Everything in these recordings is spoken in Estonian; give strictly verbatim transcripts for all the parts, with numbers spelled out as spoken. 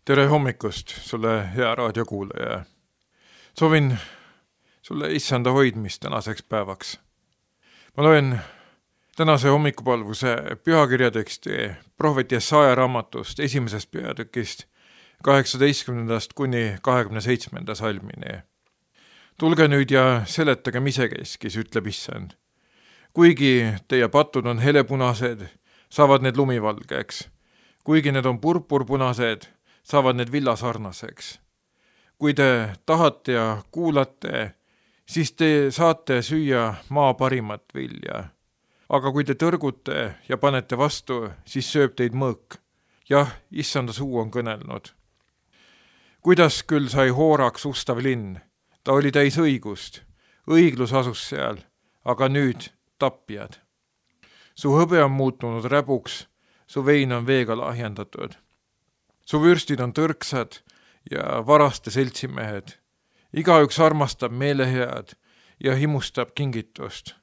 Tere hommikust sulle, hea raadiokuulaja. Soovin sulle issanda hoidmist tänaseks päevaks. Ma loen tänase hommikupalvuse pühakirjateksti prohvet Jesaja raamatust esimesest peatükist kaheksateistkümnendast kuni kahekümne seitsmenda salmini. Tulge nüüd ja seletagem isekeskis, ütleb issand. Kuigi teie patud on helepunased, saavad need lumivalgeks. Kuigi need on purpurpunased, saavad need villasarnaseks. Kui te tahate ja kuulate, siis te saate süüa maa parimat vilja. Aga kui te tõrgute ja panete vastu, siis sööb teid mõõk. Jah, issanda suu on kõnelnud. Kuidas küll sai hooraks ustav linn? Ta oli täis õigust. Õiglus asus seal, aga nüüd tapjad. Su hõbe on muutunud räbuks, su vein on veega lahjendatud. Su vürstid on tõrksad ja varaste seltsimehed. Igaüks armastab meelehead ja himustab kingitust.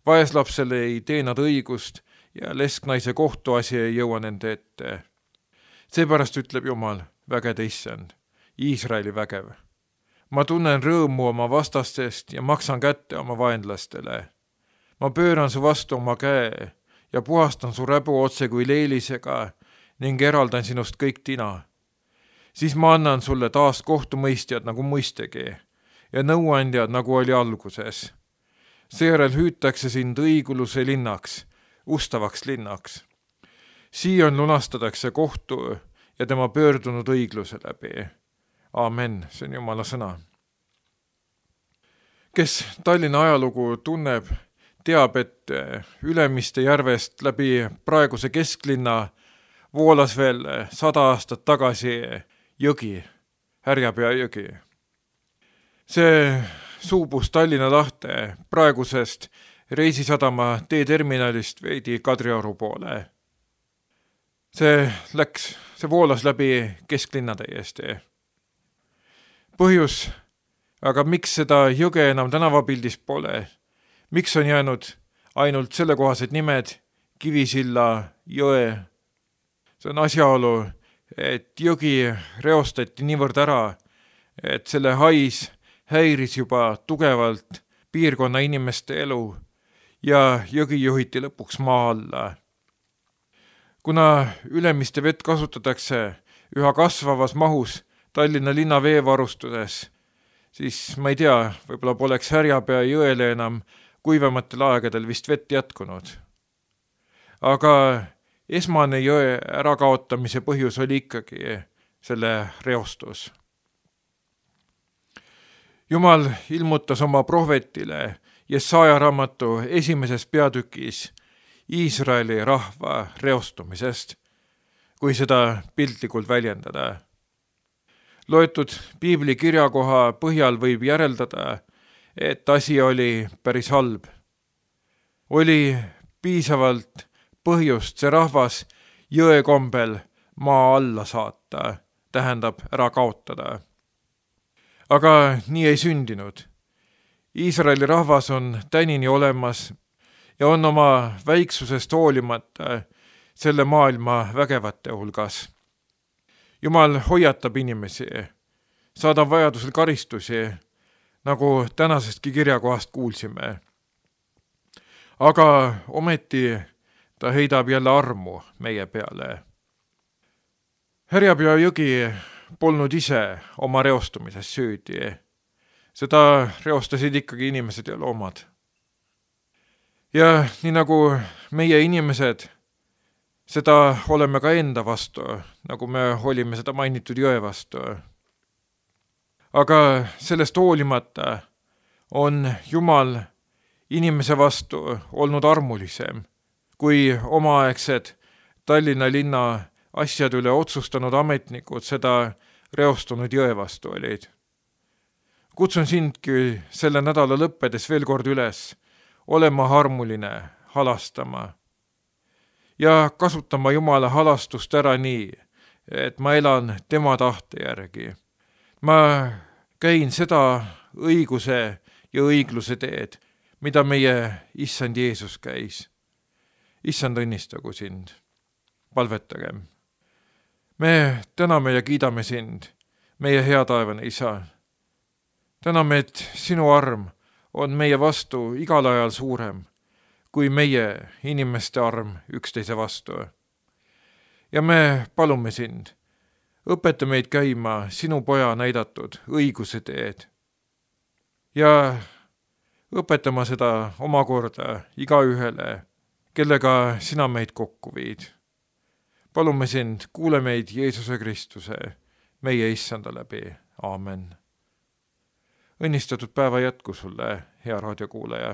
Vaeslapsele ei tee nad õigust ja lesknaise kohtuasi ei jõua nende ette. Seepärast ütleb Jumal, vägede issand, Iisraeli vägev. Ma tunnen rõõmu oma vastastest ja maksan kätte oma vaenlastele. Ma pööran su vastu oma käe ja puhastan su räbu otse kui leelisega ning eraldan sinust kõik tina. Siis ma annan sulle taas kohtumõistjad nagu mõistegi ja nõuandjad nagu oli alguses. Seejärel hüütakse sind õiguluse linnaks, ustavaks linnaks. Siion lunastatakse kohtu ja tema pöördunud õigluse läbi. Aamen, see on Jumala sõna. Kes Tallinna ajalugu tunneb, teab, et Ülemiste järvest läbi praeguse kesklinna voolas veel sada aastat tagasi jõgi, Härjapea jõgi. See suubus Tallinna lahte praegusest reisisadama teeterminalist veidi Kadrioru poole. See läks, see voolas läbi kesklinna täiesti. Põhjus, aga miks seda jõge enam tänavapildis pole? Miks on jäänud ainult sellekohased nimed Kivisilla, Jõe? See on asjaolu, et jõgi reostati niivõrd ära, et selle hais häiris juba tugevalt piirkonna inimeste elu ja jõgi juhiti lõpuks maa alla. Kuna Ülemiste vett kasutatakse üha kasvavas mahus Tallinna linna veevarustuses, siis ma ei tea, võib-olla poleks Härjapea jõele enam kuivematel aegadel vist vett jätkunud. Aga esmane jõe ärakaotamise põhjus oli ikkagi selle reostus. Jumal ilmutas oma prohvetile Jesaja raamatu esimeses peatükis Iisraeli rahva reostumisest, kui seda piltlikult väljendada. Loetud piibli kirjakoha põhjal võib järeldada, et asi oli päris halb. Oli piisavalt põhjust see rahvas jõe kombel maa alla saata, tähendab ära kaotada. Aga nii ei sündinud. Iisraeli rahvas on tänini olemas ja on oma väiksusest hoolimata selle maailma vägevate hulgas. Jumal hoiatab inimesi, saadab vajadusel karistusi, nagu tänasestki kirjakohast kuulsime. Aga ometi ta heidab jälle armu meie peale. Härjapea jõgi polnud ise oma reostumises süüdi. Seda reostasid ikkagi inimesed ja loomad. Ja nii nagu meie inimesed, seda oleme ka enda vastu, nagu me olime seda mainitud jõe vastu. Aga sellest hoolimata on Jumal inimese vastu olnud armulisem, kui omaaegsed Tallinna linna asjad üle otsustanud ametnikud seda reostunud jõe vastu olid. Kutsun sindki selle nädala lõppedes veel kord üles, olema armuline, halastama ja kasutama Jumala halastust ära nii, et ma elan tema tahte järgi. Ma käin seda õiguse ja õigluse teed, mida meie issand Jeesus käis. Issand õnnistagu sind. Palvetagem. me täname ja kiidame sind, meie hea taevane Isa. Täname, et sinu arm on meie vastu igal ajal suurem kui meie inimeste arm üksteise vastu. Ja me palume sind, õpeta meid käima sinu poja näidatud õiguse teed ja õpetama seda omakorda igaühele, kellega sina meid kokku viid. Palume sind, kuule meid Jeesuse Kristuse, meie issanda läbi. Aamen. Õnnistatud päeva jätku sulle, hea raadiokuulaja.